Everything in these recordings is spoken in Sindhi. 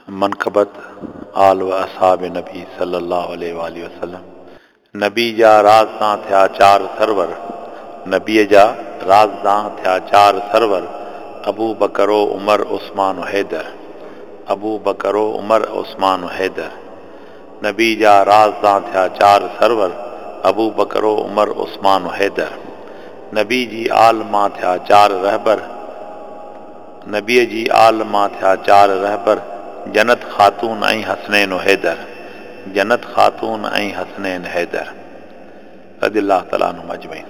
منقبت آل و اصحاب نبي صلي الله عليه واٰله وسلم. نبي جا رازدان ٿيا چار سرور، نبيء جا رازدان ٿيا چار سرور، ابو بڪر و عمر عثمان و حيدر، ابو بڪر و عمر عثمان و حيدر. نبي جا رازدان ٿيا چار سرور، ابو بڪر و عمر عثمان و حيدر. نبي جي آل مان ٿيا چار رهبر، نبيء جي آل مان ٿيا چار رهبر، جنت خاتون ۽ حسنين و حيدر، جنت خاتون ۽ حسنين حيدر رضي الله تعالٰي عنهم اجمعين.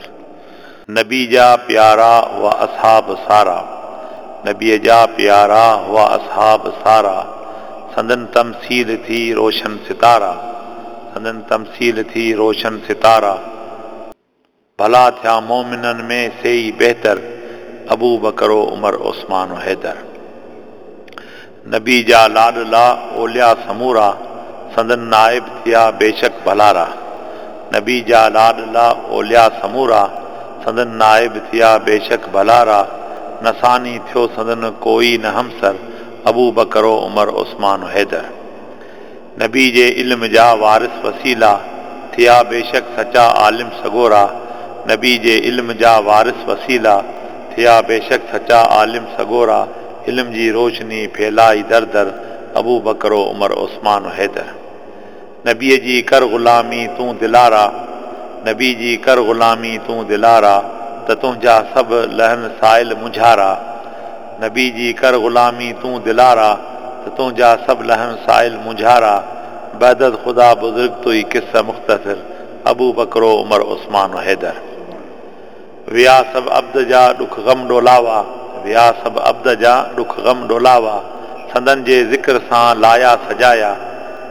نبي جا پيارا هئا اصحاب سارا، نبيء جا پيارا هئا اصحاب سارا، سندن تمثيل ٿي روشن ستارا، سندن تمثيل ٿي روشن ستارا. ڀلا ٿيا مؤمنن ۾ سي ئي بهتر، ابوبڪر و عمر عثمان و حيدر. نبي جا لاڏلا اولياء سمورا، سندن نائب ٿيا بيشڪ ڀلارا. نبي جا لاڏلا اولياء سمورا، سندن نائب ٿيا بيشڪ ڀلارا. نه ثاني ٿيو سندن ڪوئي نه همسر، ابوبڪر و عمر عثمان و حيدر. نبي جي علم جا وارث وسيلا، ٿيا بيشڪ سچا عالم سڳورا. نبي جي علم جا وارث وسيلا، ٿيا بيشڪ سچا عالم سڳورا. علم جي روشني ڦهلائي در در، ابوبڪر و عمر عثمان و حيدر. نبيء جي ڪر غلامي تون دلارا، نبي جي ڪر غلامي تون دلارا، ته تنهنجا سڀ لهن سائل مونجهارا. نبي جي ڪر غلامي تون دلارا، ته تنهنجا سڀ لهن سائل مونجهارا. بعد از خدا بزرگ توئي قصه مختصر، ابوبڪر و عمر عثمان و حيدر. ويا سڀ عبد جا ڏک غم ڏولاوا، ويا سڀ عبد جا ڏک غم ڏولاوا، سندن جي ذڪر سان لايا سجايا،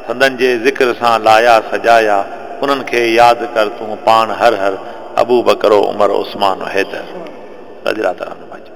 سندن جي ذڪر سان لايا سجايا، انهن کي ياد ڪر تون پاڻ هر هر، ابوبڪر و عمر عثمان و حيدر. رضي الله تعالٰي عنهم اجمعين.